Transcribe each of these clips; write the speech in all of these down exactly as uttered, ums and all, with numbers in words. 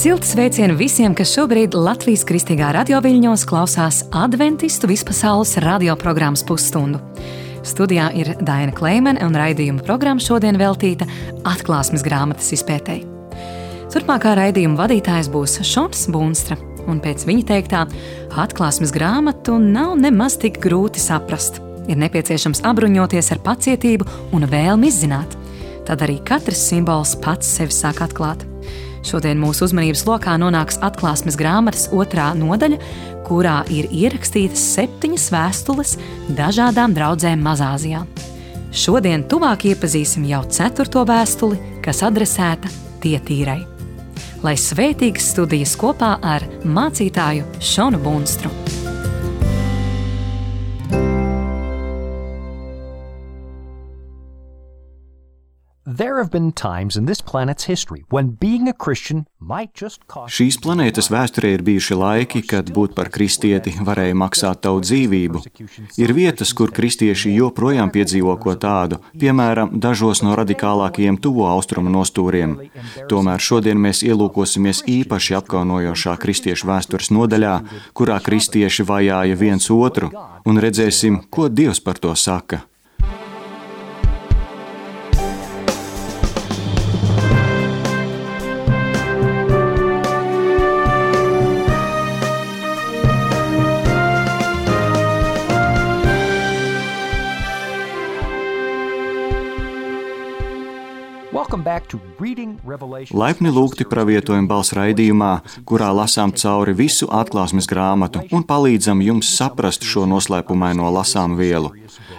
Silti sveicieni visiem, kas šobrīd Latvijas Kristīgā radioviļņos klausās Adventistu vispasaules radioprogrammas pusstundu. Studijā ir Daina Kleimene un raidījuma programma šodien veltīta atklāsmes grāmatas izpētei. Turpmākā raidījuma vadītājs būs Šons Bunstra, un pēc viņa teiktā atklāsmes grāmatu nav nemaz tik grūti saprast. Ir nepieciešams abruņoties ar pacietību un vēlmi izzināt. Tad arī katrs simbols pats sevi sāk atklāt. Šodien mūsu uzmanības lokā nonāks atklāsmes grāmatas otrā nodaļa, kurā ir ierakstītas septiņas vēstules dažādām draudzēm Mazāzijā. Šodien tuvāk iepazīsim jau ceturto vēstuli, kas adresēta Tietīrai. Lai svētīgas studijas kopā ar mācītāju Šonu Bunstru. There have been times in this planet's history when being a Christian might just cost... Šīs planētas vēsturē ir bijuši laiki, kad būt par kristieti varēja maksāt tavu dzīvību. Ir vietas, kur kristieši joprojām piedzīvo ko tādu, piemēram, dažos no radikālākajiem tuvo austrumu nostūriem. Tomēr šodien mēs ielūkosimies īpaši apkaunojošā kristiešu vēstures nodaļā, kurā kristieši vajāja viens otru, un redzēsim, ko Dievs par to saka. Laipni lūgti pravietojuma balss raidījumā, kurā lasām cauri visu atklāsmes grāmatu un palīdzam jums saprast šo noslēpumaino lasām vielu.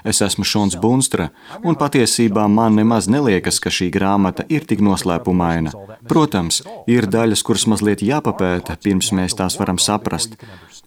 Es esmu Šons Bunstra, un patiesībā man nemaz neliekas, ka šī grāmata ir tik noslēpumaina. Protams, ir daļas, kuras mazliet jāpapēta, pirms mēs tās varam saprast.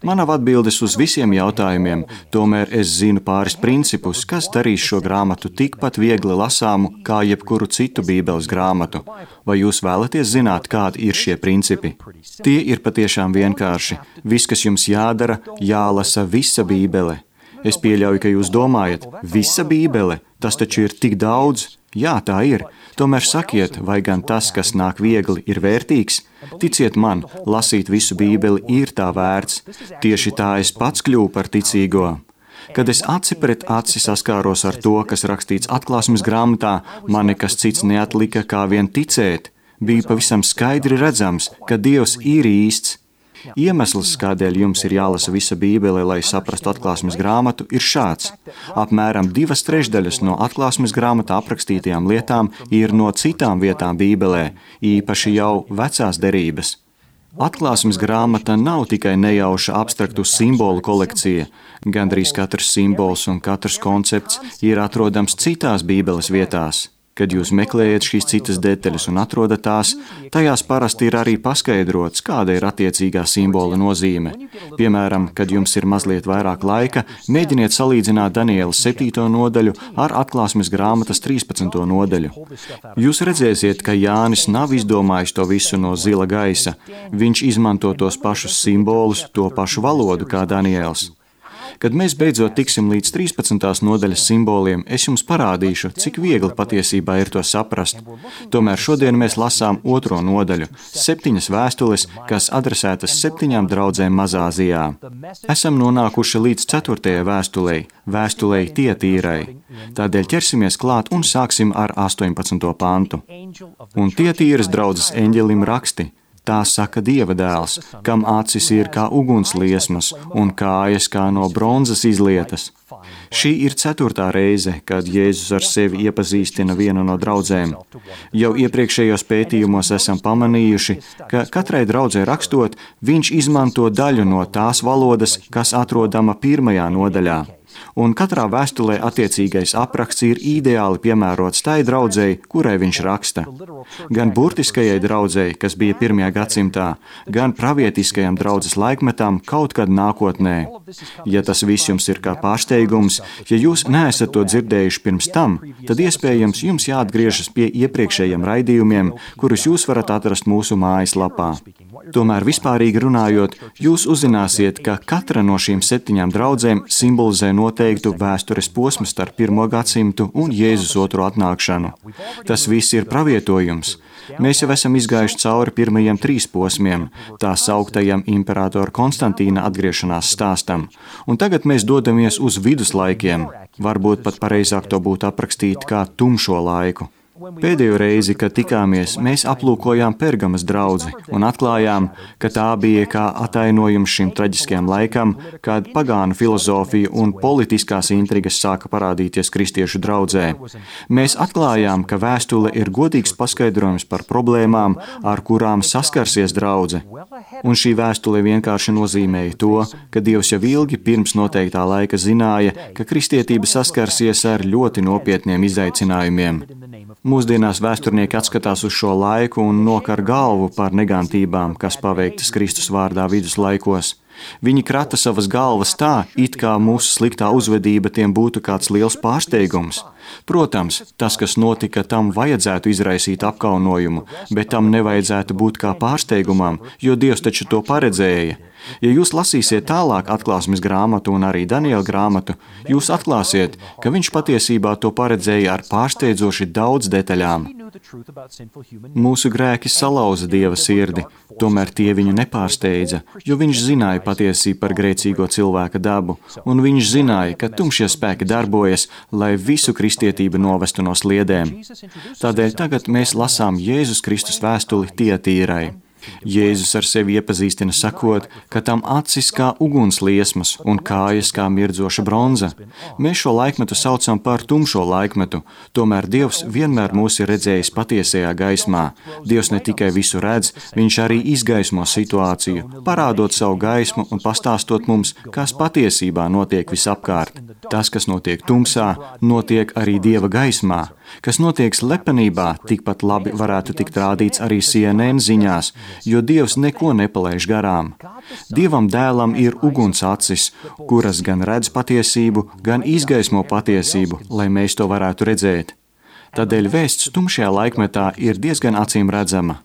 Man nav atbildes uz visiem jautājumiem, tomēr es zinu pāris principus, kas darīs šo grāmatu tikpat viegli lasāmu kā jebkuru citu bībeles grāmatu. Vai jūs vēlaties zināt, kādi ir šie principi? Tie ir patiešām vienkārši. Viss, kas jums jādara, jālasa visa bībele. Es pieļauju, ka jūs domājat, visa bībele, tas taču ir tik daudz. Jā, tā ir. Tomēr sakiet, vai gan tas, kas nāk viegli, ir vērtīgs? Ticiet man, lasīt visu bībeli ir tā vērts. Tieši tā es pats kļuvu par ticīgo. Kad es aci pret aci saskāros ar to, kas rakstīts atklāsmes grāmatā, man nekas cits neatlika kā vien ticēt. Bija pavisam skaidri redzams, ka Dievs ir īsts. Iemesls, kādēļ jums ir jālasa visa bībele, lai saprastu atklāsmes grāmatu, ir šāds. Apmēram divas trešdaļas no atklāsmes grāmatā aprakstītajām lietām ir no citām vietām bībelē, īpaši jau vecās derības. Atklāsmes grāmata nav tikai nejauša abstraktu simbolu kolekcija. Gandrīz katrs simbols un katrs koncepts ir atrodams citās bībeles vietās. Kad jūs meklējat šīs citas detaļas un atrodat tās, tajās parasti ir arī paskaidrots, kāda ir attiecīgā simbola nozīme. Piemēram, kad jums ir mazliet vairāk laika, mēģiniet salīdzināt Daniela septīto nodaļu ar atklāsmes grāmatas trīspadsmito nodaļu. Jūs redzēsiet, ka Jānis nav izdomājis to visu no zila gaisa. Viņš izmanto tos pašus simbolus, to pašu valodu kā Daniels. Kad mēs beidzot tiksim līdz trīspadsmitās nodaļas simboliem, es jums parādīšu, cik viegli patiesībā ir to saprast. Tomēr šodien mēs lasām otro nodaļu, septiņas vēstules, kas adresētas septiņām draudzēm Mazāzijā. Esam nonākuši līdz ceturtajai vēstulei, vēstulei Tietīrai. Tādēļ ķersimies klāt un sāksim ar astoņpadsmito pantu. Un Tietīras draudzes eņģelim raksti. Tā saka Dieva dēls, kam acis ir kā ugunsliesmas un kājas kā no bronzas izlietas. Šī ir ceturtā reize, kad Jēzus ar sevi iepazīstina vienu no draudzēm. Jau iepriekšējos pētījumos esam pamanījuši, ka katrai draudzē rakstot, viņš izmanto daļu no tās valodas, kas atrodama pirmajā nodaļā. Un katrā vēstulē attiecīgais apraksts ir ideāli piemērots tai draudzei, kurai viņš raksta. Gan burtiskajai draudzei, kas bija pirmajā gadsimtā, gan pravietiskajam draudzes laikmetam kaut kad nākotnē. Ja tas viss jums ir kā pārsteigums, ja jūs neesat to dzirdējuši pirms tam, tad iespējams jums jāatgriežas pie iepriekšējiem raidījumiem, kurus jūs varat atrast mūsu mājaslapā. Tomēr vispārīgi runājot, jūs uzzināsiet, ka katra no šīm septiņām draudzēm simbolizē noteiktu vēstures posmu starp pirmo gadsimtu un Jēzus otro atnākšanu. Tas viss ir pravietojums. Mēs jau esam izgājuši cauri pirmajiem trīs posmiem, tā sauktajam imperatora Konstantīna atgriešanās stāstam, un tagad mēs dodamies uz viduslaikiem, varbūt pat pareizāk to būtu aprakstīt kā tumšo laiku. Pēdējo reizi, kad tikāmies, mēs aplūkojām Pergamas draudzi un atklājām, ka tā bija kā atainojums šim traģiskajam laikam, kad pagānu filozofija un politiskās intrigas sāka parādīties kristiešu draudzē. Mēs atklājām, ka vēstule ir godīgs paskaidrojums par problēmām, ar kurām saskarsies draudze. Un šī vēstule vienkārši nozīmēja to, ka Dievs jau ilgi pirms noteiktā laika zināja, ka kristietība saskarsies ar ļoti nopietniem izaicinājumiem. Mūsdienās vēsturnieki atskatās uz šo laiku un nokar galvu par negantībām, kas paveiktas Kristus vārdā viduslaikos. Viņi krata savas galvas tā, it kā mūsu sliktā uzvedība tiem būtu kāds liels pārsteigums. Protams, tas, kas notika, tam vajadzētu izraisīt apkaunojumu, bet tam nevajadzētu būt kā pārsteigumam, jo Dievs taču to paredzēja. Ja jūs lasīsiet tālāk atklāsmes grāmatu un arī Daniela grāmatu, jūs atklāsiet, ka viņš patiesībā to paredzēja ar pārsteidzoši daudz detaļām. Mūsu grēki salauza Dieva sirdi, tomēr tie viņu nepārsteidza, jo viņš zināja patiesību par grēcīgo cilvēka dabu, un viņš zināja, ka tumšie spēki darbojas, lai visu kristietību novestu no sliedēm. Tādēļ tagad mēs lasām Jēzus Kristus vēstuli Tiatīrai. Jēzus ar sevi iepazīstina sakot, ka tam acis kā ugunsliesmas un kājas kā mirdzoša bronza. Mēs šo laikmetu saucam par tumšo laikmetu, tomēr Dievs vienmēr mūs ir redzējis patiesajā gaismā. Dievs ne tikai visu redz, viņš arī izgaismo situāciju, parādot savu gaismu un pastāstot mums, kas patiesībā notiek visapkārt. Tas, kas notiek tumsā, notiek arī Dieva gaismā. Kas notiek slepenībā, tikpat labi varētu tikt rādīts arī C N N ziņās, jo Dievs neko nepalaiž garām. Dievam dēlam ir uguns acis, kuras gan redz patiesību, gan izgaismo patiesību, lai mēs to varētu redzēt. Tādēļ vēsts tumšajā laikmetā ir diezgan acīm redzama.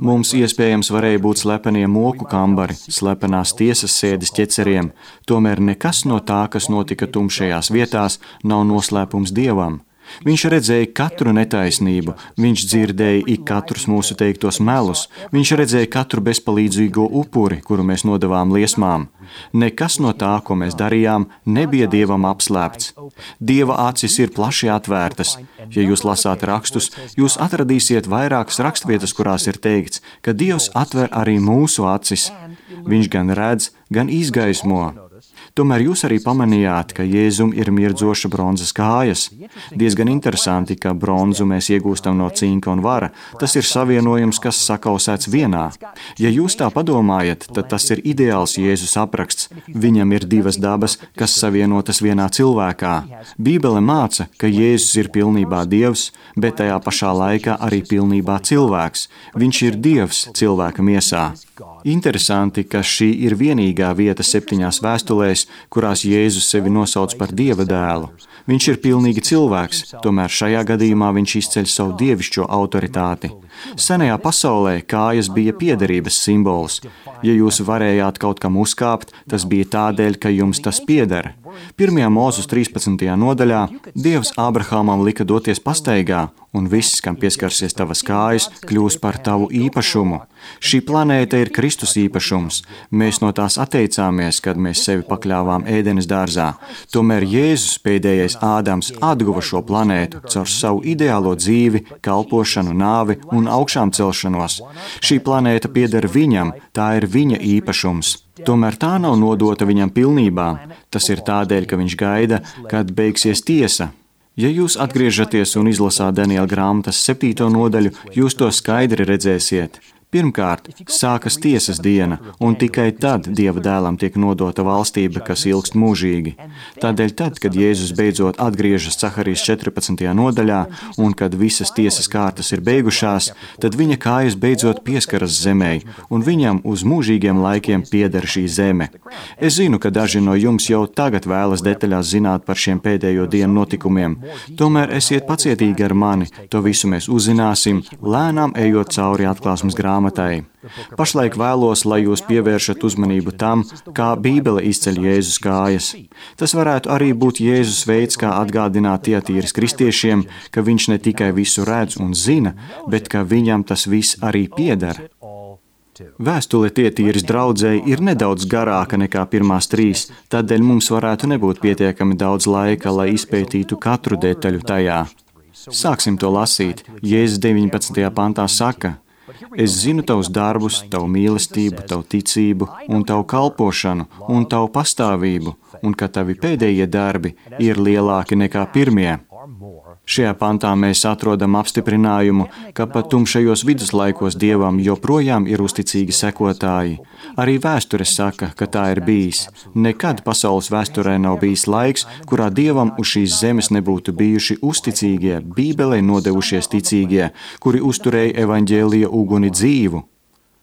Mums iespējams varēja būt slepenie moku kambari, slepenās tiesas sēdes ķeceriem, tomēr nekas no tā, kas notika tumšajās vietās, nav noslēpums Dievam. Viņš redzēja katru netaisnību, viņš dzirdēja ik katrus mūsu teiktos melus, viņš redzēja katru bezpalīdzīgo upuri, kuru mēs nodevām liesmām. Nekas no tā, ko mēs darījām, nebija Dievam apslēpts. Dieva acis ir plaši atvērtas. Ja jūs lasāt rakstus, jūs atradīsiet vairākas rakstvietas, kurās ir teikts, ka Dievs atver arī mūsu acis. Viņš gan redz, gan izgaismo. Tomēr jūs arī pamanījāt, ka Jēzum ir mirdzoša bronzas kājas. Diezgan interesanti, ka bronzu mēs iegūstam no cinka un vara. Tas ir savienojums, kas sakausēts vienā. Ja jūs tā padomājat, tad tas ir ideāls Jēzus apraksts. Viņam ir divas dabas, kas savienotas vienā cilvēkā. Bībele māca, ka Jēzus ir pilnībā Dievs, bet tajā pašā laikā arī pilnībā cilvēks. Viņš ir Dievs cilvēka miesā. Interesanti, ka šī ir vienīgā vieta septiņās vēstulēs, kurās Jēzus sevi nosauc par Dieva dēlu. Viņš ir pilnīgi cilvēks, tomēr šajā gadījumā viņš izceļ savu dievišķo autoritāti. Senajā pasaulē kājas bija piederības simbols. Ja jūs varējāt kaut kam uzkāpt, tas bija tādēļ, ka jums tas pieder. Pirmajā Mūzes trīspadsmitajā nodaļā Dievs Ābrahamam lika doties pastaigā, un viss, kam pieskarsies tavas kājas, kļūs par tavu īpašumu. Šī planēta ir Kristus īpašums. Mēs no tās atteicāmies, kad mēs sevi pakļāvām Ēdenes dārzā. Tomēr Jēzus, pēdējais Ādams, atguva šo planētu caur savu ideālo dzīvi, kalpošanu, nāvi un augšām celšanos. Šī planēta pieder viņam, tā ir viņa īpašums. Tomēr tā nav nodota viņam pilnībā. Tas ir tādēļ, ka viņš gaida, kad beigsies tiesa. Ja jūs atgriežaties un izlasāt Daniela grāmatas septīto nodaļu, jūs to skaidri redzēsiet. Pirmkārt, sākas tiesas diena, un tikai tad Dieva dēlam tiek nodota valstība, kas ilgst mūžīgi. Tādēļ tad, kad Jēzus beidzot atgriežas Caharijas četrpadsmitajā nodaļā, un kad visas tiesas kārtas ir beigušās, tad viņa kājas beidzot pieskaras zemei, un viņam uz mūžīgiem laikiem pieder šī zeme. Es zinu, ka daži no jums jau tagad vēlas detaļās zināt par šiem pēdējo dienu notikumiem. Tomēr esiet pacietīgi ar mani, to visu mēs uzzināsim, lēnām ejot cauri atklāsmes grāmatai. grāmatai. Pašlaik vēlos, lai jūs pievēršat uzmanību tam, kā Bībele izceļ Jēzus kājas. Tas varētu arī būt Jēzus veids, kā atgādināt Tiatīras kristiešiem, ka viņš ne tikai visu redz un zina, bet ka viņam tas viss arī pieder. Vēstule Tiatīras draudzei ir nedaudz garāka nekā pirmās trīs, tādēļ mums varētu nebūt pietiekami daudz laika, lai izpētītu katru detaļu tajā. Sāksim to lasīt. Jēzus deviņpadsmitajā pantā saka: Es zinu tavus darbus, tavu mīlestību, tavu ticību un tavu kalpošanu un tavu pastāvību, un ka tavi pēdējie darbi ir lielāki nekā pirmie. Šajā pantā mēs atrodam apstiprinājumu, ka pat tumšajos viduslaikos Dievam joprojām ir uzticīgi sekotāji. Arī vēsture saka, ka tā ir bijis. Nekad pasaules vēsturē nav bijis laiks, kurā Dievam uz šīs zemes nebūtu bijuši uzticīgie, Bībelei nodevušies ticīgie, kuri uzturēja evaņģēlija uguni dzīvu.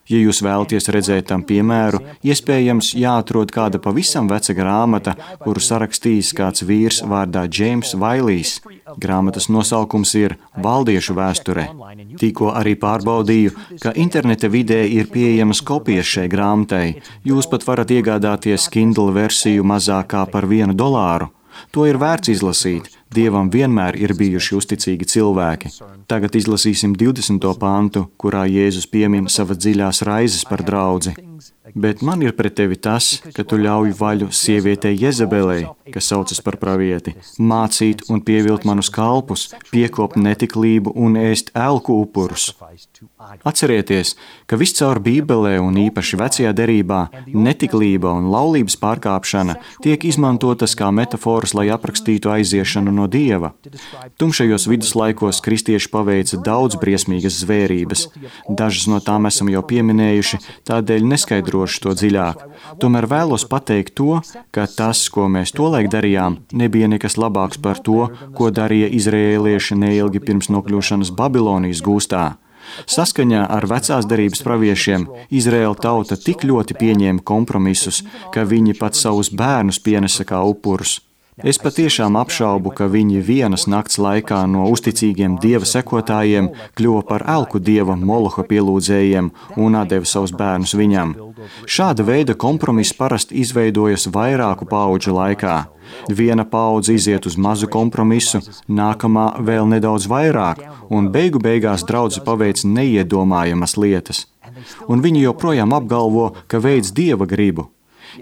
Ja jūs vēlaties redzēt tam piemēru, iespējams jāatrod kāda pavisam veca grāmata, kuru sarakstījis kāds vīrs vārdā Džeims Vailijs. Grāmatas nosaukums ir Valdiešu vēsture. Tikko arī pārbaudīju, ka interneta vidē ir pieejamas kopijas šai grāmatai. Jūs pat varat iegādāties Kindle versiju mazākā par vienu dolāru. To ir vērts izlasīt. Dievam vienmēr ir bijuši uzticīgi cilvēki. Tagad izlasīsim divdesmito pantu, kurā Jēzus piemin savas dziļās raizes par draudzi. Bet man ir pret tevi tas, ka tu ļauj vaļu sievietei Jezebelei, kas saucas par pravieti, mācīt un pievilt manus kalpus, piekopt netiklību un ēst elku upurus. Atcerieties, ka viscaur Bībelē un īpaši vecajā derībā netiklība un laulības pārkāpšana tiek izmantotas kā metaforas, lai aprakstītu aiziešanu no Dieva. Tumšajos viduslaikos kristieši paveica daudz briesmīgas zvērības. Dažas no tām esam jau pieminējuši, tādēļ neskaidrošu to dziļāk. Tomēr vēlos pateikt to, ka tas, ko mēs tolaik darījām, nebija nekas labāks par to, ko darīja izrēlieši neilgi pirms nokļūšanas Babilonijas gūstā. Saskaņā ar vecās derības praviešiem Izraēla tauta tik ļoti pieņēma kompromisus, ka viņi pat savus bērnus pienesa kā upurus. Es patiešām apšaubu, ka viņi vienas nakts laikā no uzticīgiem Dieva sekotājiem kļuva par elku dieva Moloha pielūdzējiem un atdeva savus bērnus viņam. Šāda veida kompromiss parasti izveidojas vairāku paudžu laikā. Viena paudze iziet uz mazu kompromisu, nākamā vēl nedaudz vairāk, un beigu beigās draudze paveic neiedomājamas lietas. Un viņi joprojām apgalvo, ka veic Dieva gribu.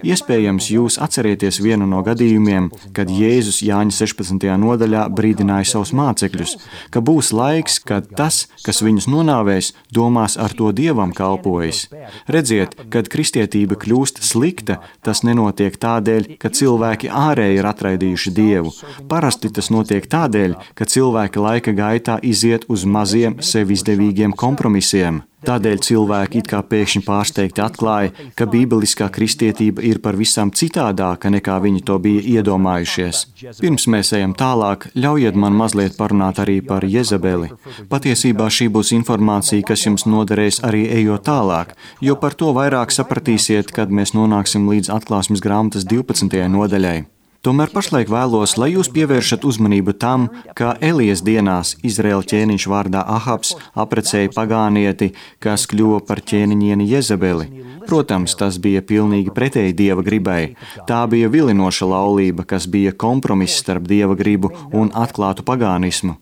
Iespējams, jūs atcerieties vienu no gadījumiem, kad Jēzus Jāņa sešpadsmitajā nodaļā brīdināja savus mācekļus, ka būs laiks, kad tas, kas viņus nonāvēs, domās ar to Dievam kalpojas. Redziet, kad kristietība kļūst slikta, tas nenotiek tādēļ, ka cilvēki ārēji ir atraidījuši Dievu. Parasti tas notiek tādēļ, ka cilvēki laika gaitā iziet uz maziem, sev izdevīgiem kompromisiem. Tādēļ cilvēki it kā pēkšņi pārsteigti atklāja, ka bībeliskā kristietība ir pavisam citādāka, nekā viņi to bija iedomājušies. Pirms mēs ejam tālāk, ļaujiet man mazliet parunāt arī par Jezebeli. Patiesībā šī būs informācija, kas jums noderēs arī ejot tālāk, jo par to vairāk sapratīsiet, kad mēs nonāksim līdz Atklāsmes grāmatas divpadsmitajai nodaļai. Tomēr pašlaik vēlos, lai jūs pievēršat uzmanību tam, ka Elijas dienās Izraēla ķēniņš vārdā Ahabs aprecēja pagānieti, kas kļuva par ķēniņieni Jezebeli. Protams, tas bija pilnīgi pretēji Dieva gribai. Tā bija vilinoša laulība, kas bija kompromiss starp Dieva gribu un atklātu pagānismu.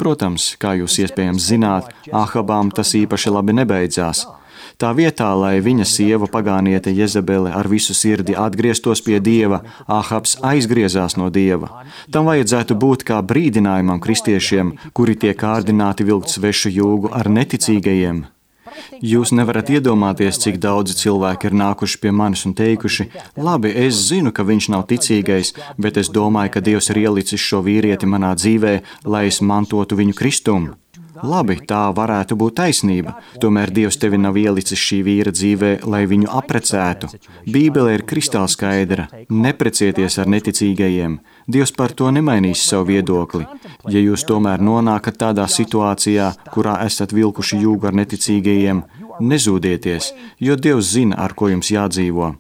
Protams, kā jūs iespējams zināt, Ahabām tas īpaši labi nebeidzās. Tā vietā, lai viņa sieva pagāniete Jezebele ar visu sirdi atgrieztos pie Dieva, Ahabs aizgriezās no Dieva. Tam vajadzētu būt kā brīdinājumam kristiešiem, kuri tiek kārdināti vilkt svešu jūgu ar neticīgajiem. Jūs nevarat iedomāties, cik daudzi cilvēki ir nākuši pie manis un teikuši: labi, es zinu, ka viņš nav ticīgais, bet es domāju, ka Dievs ir ielicis šo vīrieti manā dzīvē, lai es mantotu viņu kristumu. Labi, tā varētu būt taisnība, tomēr Dievs tevi nav ielicis šī vīra dzīvē, lai viņu aprecētu. Bībele ir kristāli skaidra: neprecieties ar neticīgajiem. Dievs par to nemainīs savu viedokli. Ja jūs tomēr nonākat tādā situācijā, kurā esat vilkuši jūgu ar neticīgajiem, nezūdieties, jo Dievs zina, ar ko jums jādzīvo.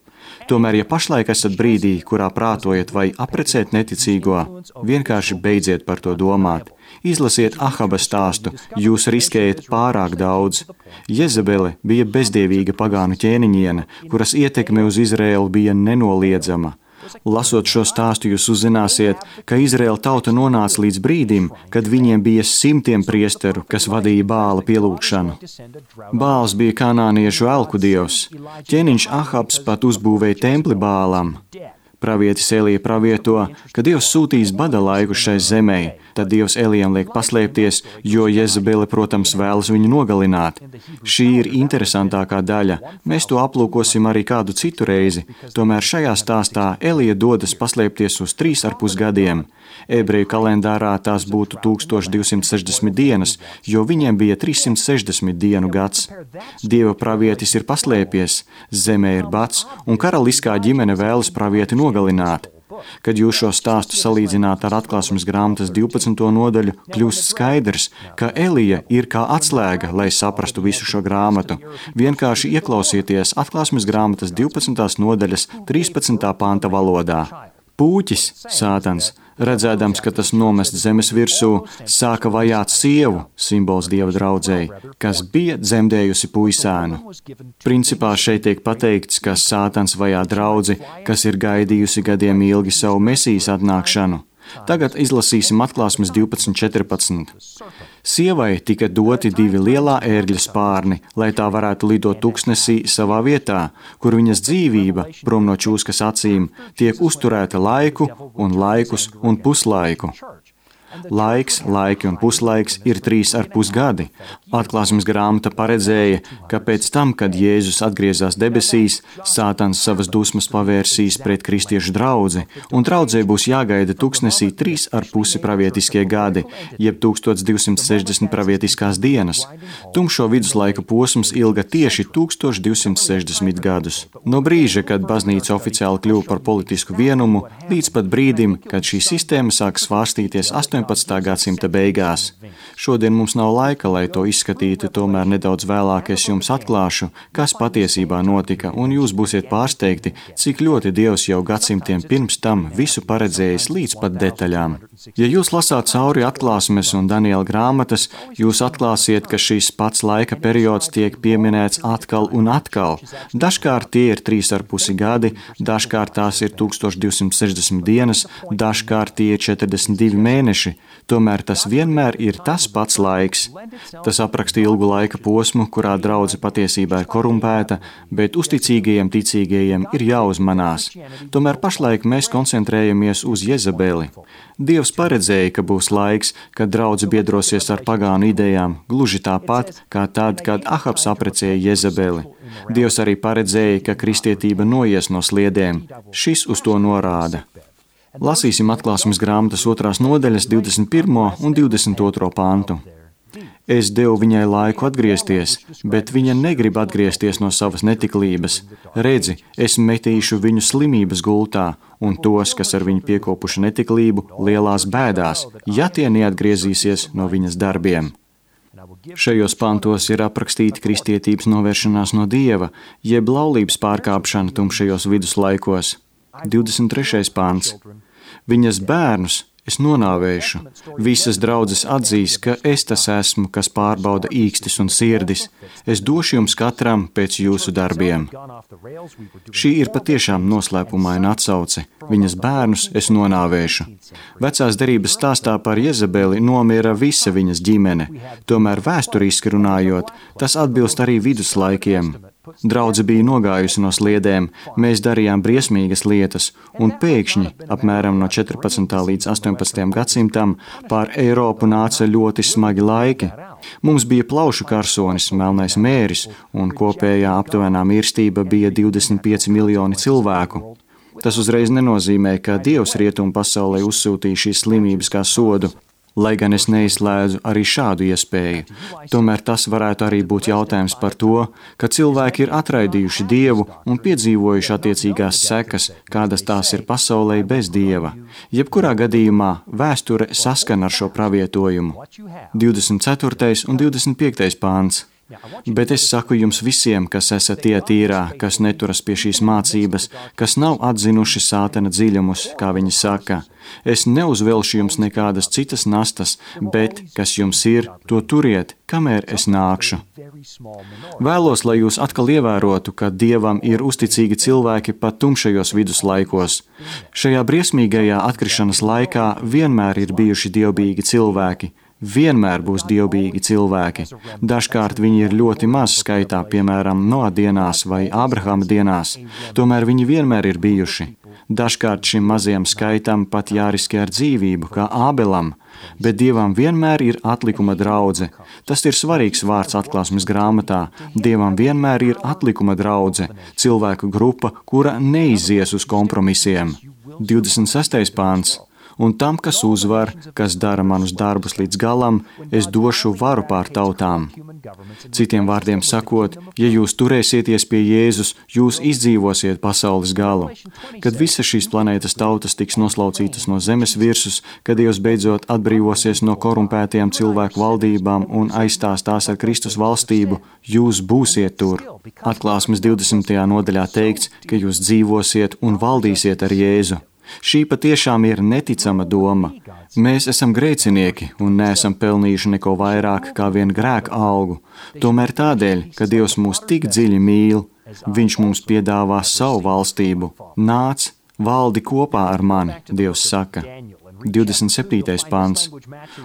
Tomēr, ja pašlaik esat brīdī, kurā prātojat vai aprecēt neticīgo, vienkārši beidziet par to domāt. Izlasiet Ahaba stāstu, jūs riskējat pārāk daudz. Jezebele bija bezdievīga pagānu ķēniņiene, kuras ietekme uz Izraēlu bija nenoliedzama. Lasot šo stāstu, jūs uzzināsiet, ka Izraēla tauta nonāca līdz brīdim, kad viņiem bija simtiem priesteru, kas vadīja Bāla pielūgšanu. Bāls bija kanāniešu elku dievs. Ķēniņš Ahabs pat uzbūvēja templi Bālam. Pravietis Elija pravieto, ka Dievs sūtīs bada laiku šai zemē, tad Dievs Elijam liek paslēpties, jo Jezebele, protams, vēlas viņu nogalināt. Šī ir interesantākā daļa. Mēs to aplūkosim arī kādu citu reizi, tomēr šajā stāstā Elija dodas paslēpties uz trīs ar pus gadiem. Ebreju kalendārā tās būtu tūkstoš divsimt sešdesmit dienas, jo viņiem bija trīssimt sešdesmit dienu gads. Dieva pravietis ir paslēpies, zemē ir bats, un karaliskā ģimene vēlas pravieti nogalināt. Kad jūs šo stāstu salīdzināt ar Atklāsmes grāmatas divpadsmito nodaļu, kļūst skaidrs, ka Elija ir kā atslēga, lai saprastu visu šo grāmatu. Vienkārši ieklausieties Atklāsmes grāmatas divpadsmitās nodaļas trīspadsmitā panta valodā. Pūķis, Sātans, redzēdams, ka tas nomest zemes virsū, sāka vajāt sievu, simbols Dieva draudzei, kas bija dzemdējusi puisēnu. Principā šeit tiek pateikts, ka Sātans vajā draudzi, kas ir gaidījusi gadiem ilgi savu Mesijas atnākšanu. Tagad izlasīsim Atklāsmes divpadsmit četrpadsmit. Sievai tika doti divi lielā ērgļa spārni, lai tā varētu lidot tuksnesī savā vietā, kur viņas dzīvība, prom no čūskas acīm, tiek uzturēta laiku un laikus un puslaiku. Laiks, laiki un puslaiks ir trīs ar pus gadi. Atklāsmes grāmata paredzēja, ka pēc tam, kad Jēzus atgriezās debesīs, Sātans savas dusmas pavērsīs pret kristiešu draudzi, un draudzei būs jāgaida tuksnesī trīs ar pusi pravietiskie gadi, jeb tūkstoš divsimt sešdesmit pravietiskās dienas. Tumšo viduslaika posms ilga tieši tūkstoš divsimt sešdesmit gadus. No brīža, kad baznīca oficiāli kļuva par politisku vienumu, līdz pat brīdim, kad šī sistēma sāk svārstīties astoņpadsmitā gadsimta beigās. Šodien mums nav laika, lai to izskatītu, tomēr nedaudz vēlāk es jums atklāšu, kas patiesībā notika, un jūs būsiet pārsteigti, cik ļoti Dievs jau gadsimtiem pirms tam visu paredzējis līdz pat detaļām. Ja jūs lasāt cauri Atklāsmes un Daniela grāmatas, jūs atklāsiet, ka šis pats laika periods tiek pieminēts atkal un atkal. Dažkārt tie ir trīs ar pusi gadi, dažkārt tās ir tūkstoš divsimt sešdesmit dienas, dažkārt tie ir četrdesmit divi mēneši. Tomēr tas vienmēr ir tas pats laiks. Tas apraksta ilgu laika posmu, kurā draudze patiesībā ir korumpēta, bet uzticīgajiem ticīgajiem ir jāuzmanās. Tomēr pašlaik mēs koncentrējamies uz Jezebeli. Dievs paredzēja, ka būs laiks, kad draudze biedrosies ar pagānu idejām, gluži tāpat, kā tad, kad Ahabs aprecēja Jezebeli. Dievs arī paredzēja, ka kristietība noies no sliedēm. Šis uz to norāda. Lasīsim Atklāsmes grāmatas otrās nodaļas divdesmit pirmo un divdesmit otro pantu. Es devu viņai laiku atgriezties, bet viņa negrib atgriezties no savas netiklības. Redzi, es metīšu viņu slimības gultā, un tos, kas ar viņu piekopuši netiklību, lielās bēdās, ja tie neatgriezīsies no viņas darbiem. Šajos pantos ir aprakstīta kristietības novēršanās no Dieva, jeb laulības pārkāpšana tumšajos viduslaikos. divdesmit trešais pants. Viņas bērnus es nonāvēšu. Visas draudzes atzīs, ka es tas esmu, kas pārbauda īkstis un sirdis. Es došu jums katram pēc jūsu darbiem. Šī ir patiešām noslēpumaina atsauce. Viņas bērnus es nonāvēšu. Vecās derības stāstā par Jezebeli nomira visa viņas ģimene. Tomēr vēsturiski runājot, tas atbilst arī viduslaikiem. Draudze bija nogājusi no sliedēm, mēs darījām briesmīgas lietas, un pēkšņi, apmēram no četrpadsmitā līdz astoņpadsmitajam gadsimtam, pār Eiropu nāca ļoti smagi laiki. Mums bija plaušu karsonis, melnais mēris, un kopējā aptuvenā mirstība bija divdesmit pieci miljoni cilvēku. Tas uzreiz nenozīmē, ka Dievs rietumu pasaulē uzsūtīja šīs slimības kā sodu. Lai gan es neizslēdzu arī šādu iespēju, tomēr tas varētu arī būt jautājums par to, ka cilvēki ir atraidījuši Dievu un piedzīvojuši attiecīgās sekas, kādas tās ir pasaulē bez Dieva. Jebkurā gadījumā vēsture saskan ar šo pravietojumu. divdesmit ceturtais un divdesmit piektais pāns. Bet es saku jums visiem, kas esat tie tīrā, kas neturas pie šīs mācības, kas nav atzinuši sātana dziļumus, kā viņi saka. Es neuzvelšu jums nekādas citas nastas, bet, kas jums ir, to turiet, kamēr es nākšu. Vēlos, lai jūs atkal ievērotu, ka Dievam ir uzticīgi cilvēki pat tumšajos viduslaikos. Šajā briesmīgajā atkrišanas laikā vienmēr ir bijuši dievbijīgi cilvēki. Vienmēr būs dievbijīgi cilvēki. Dažkārt viņi ir ļoti maz skaitā, piemēram, Noa dienās vai Ābrahama dienās. Tomēr viņi vienmēr ir bijuši. Dažkārt šim mazajam skaitam pat jāriskē ar dzīvību, kā Ābelam, bet Dievam vienmēr ir atlikuma draudze. Tas ir svarīgs vārds atklāsmes grāmatā. Dievam vienmēr ir atlikuma draudze, cilvēku grupa, kura neizies uz kompromisiem. divdesmit sestais pāns. Un tam, kas uzvar, kas dara manus darbus līdz galam, es došu varu pār tautām. Citiem vārdiem sakot, ja jūs turēsieties pie Jēzus, jūs izdzīvosiet pasaules galu. Kad visas šīs planētas tautas tiks noslaucītas no zemes virsus, kad Dievs beidzot atbrīvosies no korumpētajām cilvēku valdībām un aizstās tās ar Kristus valstību, jūs būsiet tur. Atklāsmes divdesmitajā nodaļā teikts, ka jūs dzīvosiet un valdīsiet ar Jēzu. Šī patiešām ir neticama doma. Mēs esam grēcinieki un neesam pelnījuši neko vairāk kā vien grēka algu. Tomēr tādēļ, ka Dievs mūs tik dziļi mīl, Viņš mums piedāvā savu valstību. Nāc, valdi kopā ar mani, Dievs saka. divdesmit septītais pants.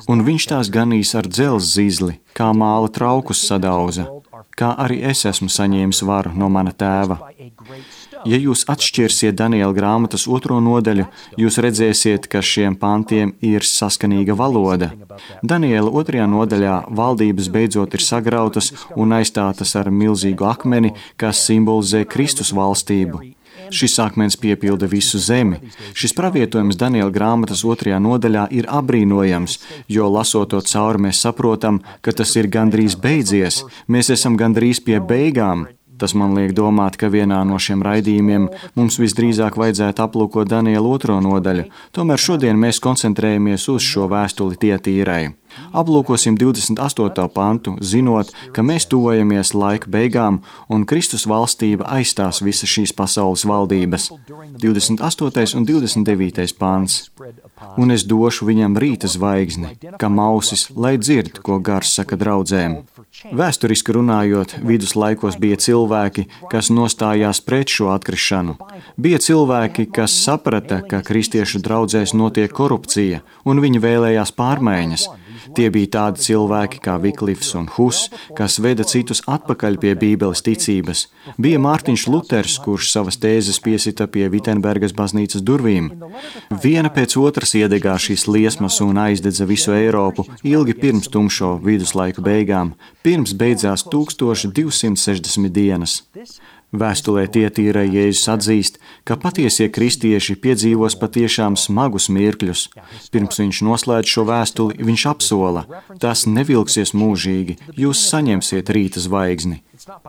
Un viņš tās ganīs ar dzelzs zizli, kā māla traukus sadauza, kā arī es esmu saņēmis varu no mana tēva. Ja jūs atšķirsiet Daniela grāmatas otro nodaļu, jūs redzēsiet, ka šiem pantiem ir saskanīga valoda. Daniela otrajā nodaļā valdības beidzot ir sagrautas un aizstātas ar milzīgu akmeni, kas simbolizē Kristus valstību. Šis akmens piepilda visu zemi. Šis pravietojums Daniela grāmatas otrajā nodaļā ir apbrīnojams, jo lasot to cauri mēs saprotam, ka tas ir gandrīz beidzies. Mēs esam gandrīz pie beigām. Tas man liek domāt, ka vienā no šiem raidījumiem mums visdrīzāk vajadzētu aplūkot Daniela otro nodaļu. Tomēr šodien mēs koncentrējamies uz šo vēstuli Tietīrai. Aplūkosim divdesmit astoto pantu, zinot, ka mēs tuvojamies laika beigām un Kristus valstība aizstās visas šīs pasaules valdības. divdesmit astotais un divdesmit devītais pants. Un es došu viņam rīta zvaigzni, kā mausis, lai dzird, ko gars saka draudzēm. Vēsturiski runājot, viduslaikos bija cilvēki, kas nostājās pret šo atkrišanu. Bija cilvēki, kas saprata, ka kristiešu draudzēs notiek korupcija, un viņi vēlējās pārmaiņas. Tie bija tādi cilvēki kā Viklifs un Hus, kas veda citus atpakaļ pie Bībeles ticības. Bija Mārtiņš Luters, kurš savas tēzes piesita pie Vitenbergas baznīcas durvīm. Viena pēc otras iedegā šīs liesmas un aizdedza visu Eiropu ilgi pirms tumšo viduslaiku beigām, pirms beidzās tūkstoš divsimt sešdesmit dienas. Vēstulē Tietīrai Jēzus atzīst, ka patiesie kristieši piedzīvos patiešām smagus mirkļus. Pirms viņš noslēdz šo vēstuli, viņš apsola, tas nevilksies mūžīgi, jūs saņemsiet rīta zvaigzni.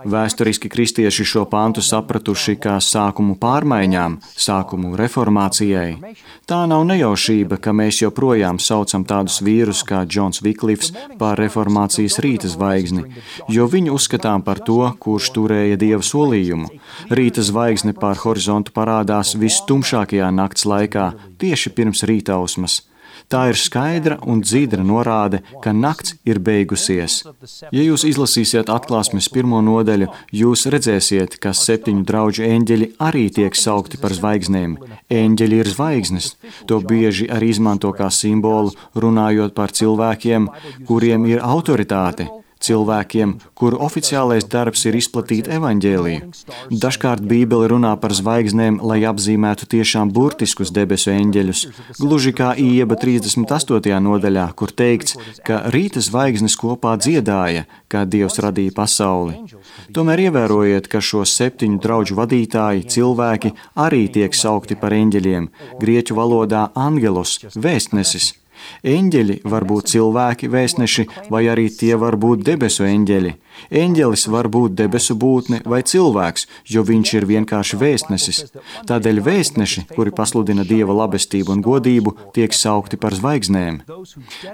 Vēsturiski kristieši šo pantu sapratuši kā sākumu pārmaiņām, sākumu reformācijai. Tā nav nejaušība, ka mēs joprojām saucam tādus vīrus kā Džons Viklifs par reformācijas rīta zvaigzni, jo viņu uzskatām par to, kurš turēja Dieva solījumu. Rīta zvaigzne pār horizontu parādās visstumšākajā nakts laikā, tieši pirms rītausmas. Tā ir skaidra un dzīdra norāde, ka nakts ir beigusies. Ja jūs izlasīsiet atklāsmes pirmo nodaļu, jūs redzēsiet, ka septiņu drauģu eņģeļi arī tiek saukti par zvaigznēm. Eņģeļi ir zvaigznes. To bieži arī izmanto kā simbolu, runājot par cilvēkiem, kuriem ir autoritāte. Cilvēkiem, kuru oficiālais darbs ir izplatīt evaņģēliju. Dažkārt Bībele runā par zvaigznēm, lai apzīmētu tiešām burtiskus debesu eņģeļus, gluži kā Ieba trīsdesmit astotajā nodaļā, kur teikts, ka rīta zvaigznes kopā dziedāja, kā Dievs radīja pasauli. Tomēr ievērojiet, ka šo septiņu drauģu vadītāji, cilvēki, arī tiek saukti par eņģeļiem, grieķu valodā angelos, vēstnesis. Eņģeļi var būt cilvēki, vēstneši, vai arī tie var būt debesu eņģeļi. Eņģelis var būt debesu būtne vai cilvēks, jo viņš ir vienkārši vēstnesis. Tādēļ vēstneši, kuri pasludina Dieva labestību un godību, tiek saukti par zvaigznēm.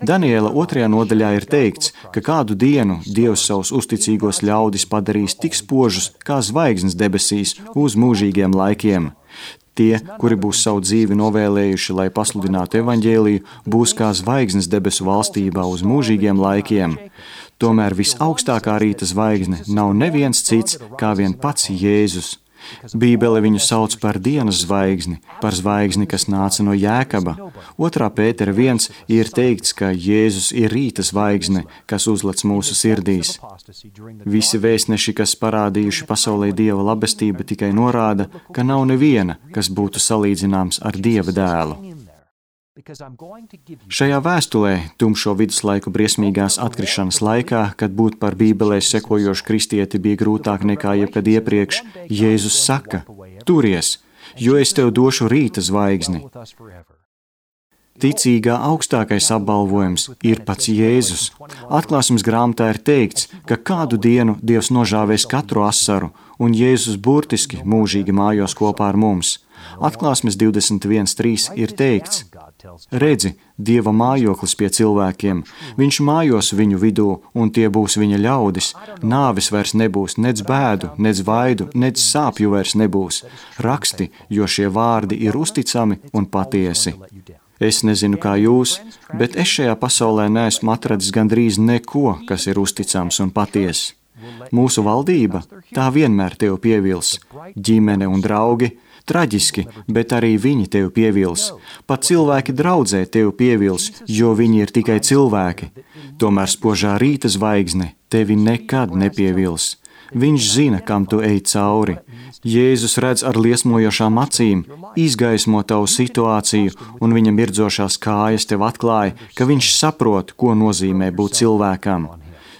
Daniela otrajā nodaļā ir teikts, ka kādu dienu Dievs savus uzticīgos ļaudis padarīs tik spožus kā zvaigznes debesīs uz mūžīgiem laikiem. Tie, kuri būs savu dzīvi novēlējuši, lai pasludinātu evaņģēliju, būs kā zvaigznes debesu valstībā uz mūžīgiem laikiem. Tomēr visaugstākā rīta zvaigzne nav neviens cits kā vien pats Jēzus. Bībele viņu sauc par dienas zvaigzni, par zvaigzni, kas nāca no Jēkaba. Otrā Pētera viens ir teikts, ka Jēzus ir rīta zvaigzne, kas uzlec mūsu sirdīs. Visi vēstneši, kas parādījuši pasaulē Dieva labestību, tikai norāda, ka nav neviena, kas būtu salīdzināms ar Dieva dēlu. Šajā vēstulē, tumšo viduslaiku briesmīgās atkrišanas laikā, kad būt par Bībelē sekojošu kristieti bija grūtāk nekā jebkad iepriekš, Jēzus saka: turies, jo es tev došu rīta zvaigzni. Ticīgā augstākais apbalvojums ir pats Jēzus. Atklāsmes grāmatā ir teikts, ka kādu dienu Dievs nožāvēs katru asaru, un Jēzus burtiski mūžīgi mājos kopā ar mums. Atklāsmes divdesmit viens trīs ir teikts: redzi, Dieva mājoklis pie cilvēkiem, viņš mājos viņu vidū, un tie būs viņa ļaudis. Nāvis vairs nebūs, nec bēdu, nec vaidu, nec sāpju vairs nebūs. Raksti, jo šie vārdi ir uzticami un patiesi. Es nezinu, kā jūs, bet es šajā pasaulē neesmu atradis gandrīz neko, kas ir uzticams un patiess. Mūsu valdība, tā vienmēr tev pievils. Ģimene un draugi, traģiski, bet arī viņi tev pievils. Pat cilvēki draudzē tev pievils, jo viņi ir tikai cilvēki. Tomēr spožā rīta zvaigzne tevi nekad nepievils. Viņš zina, kam tu ej cauri. Jēzus redz ar liesmojošām acīm, izgaismo tavu situāciju, un viņa mirdzošās kājas tev atklāja, ka viņš saprot, ko nozīmē būt cilvēkam.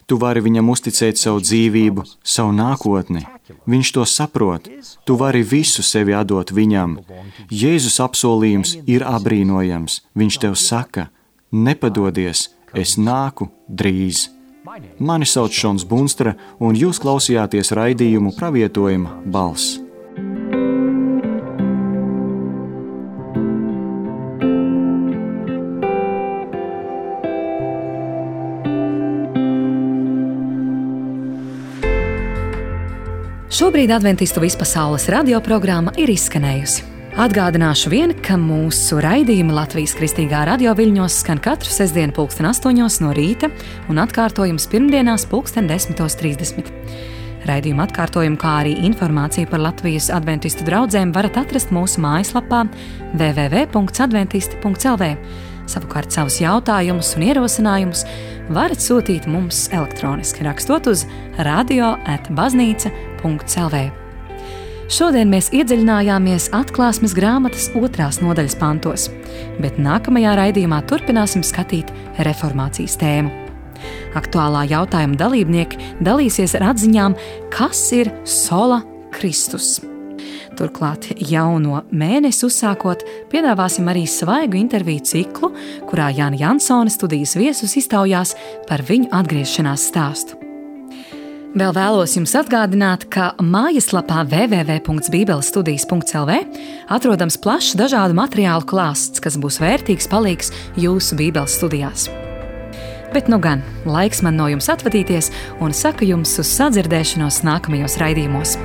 Tu vari viņam uzticēt savu dzīvību, savu nākotni. Viņš to saprot. Tu vari visu sevi atdot viņam. Jēzus apsolījums ir apbrīnojams. Viņš tev saka: nepadodies, es nāku drīz. Mani sauc Šons Bunstra, un jūs klausījāties raidījumu Pravietojuma balss. Šobrīd Adventistu vispasaules radioprogramma ir izskanējusi. Atgādināšu vien, ka mūsu raidījumi Latvijas Kristīgā radio viļņos skan katru sestdienu pulksten astoņos no rīta un atkārtojums pirmdienās pulksten desmitos trīsdesmit. Raidījuma atkārtojumu, kā arī informāciju par Latvijas adventistu draudzēm varat atrast mūsu mājaslapā w w w punkts adventisti punkts l v. Savukārt savus jautājumus un ierosinājumus varat sūtīt mums elektroniski, rakstot uz radio at baznīca punkts l v. Šodien mēs iedziļinājāmies Atklāsmes grāmatas otrās nodaļas pantos, bet nākamajā raidījumā turpināsim skatīt reformācijas tēmu. Aktuālā jautājuma dalībnieki dalīsies ar atziņām, kas ir sola Kristus. Turklāt jauno mēnesi uzsākot, piedāvāsim arī svaigu interviju ciklu, kurā Jāna Jansone studijas viesus iztaujās par viņu atgriešanās stāstu. Vēl vēlos jums atgādināt, ka mājaslapā w w w punkts bībeles studijas punkts l v atrodams plašs dažādu materiālu klāsts, kas būs vērtīgs palīgs jūsu bībeles studijās. Bet nu gan, laiks man no jums atvadīties un saku jums uz sadzirdēšanos nākamajos raidījumos.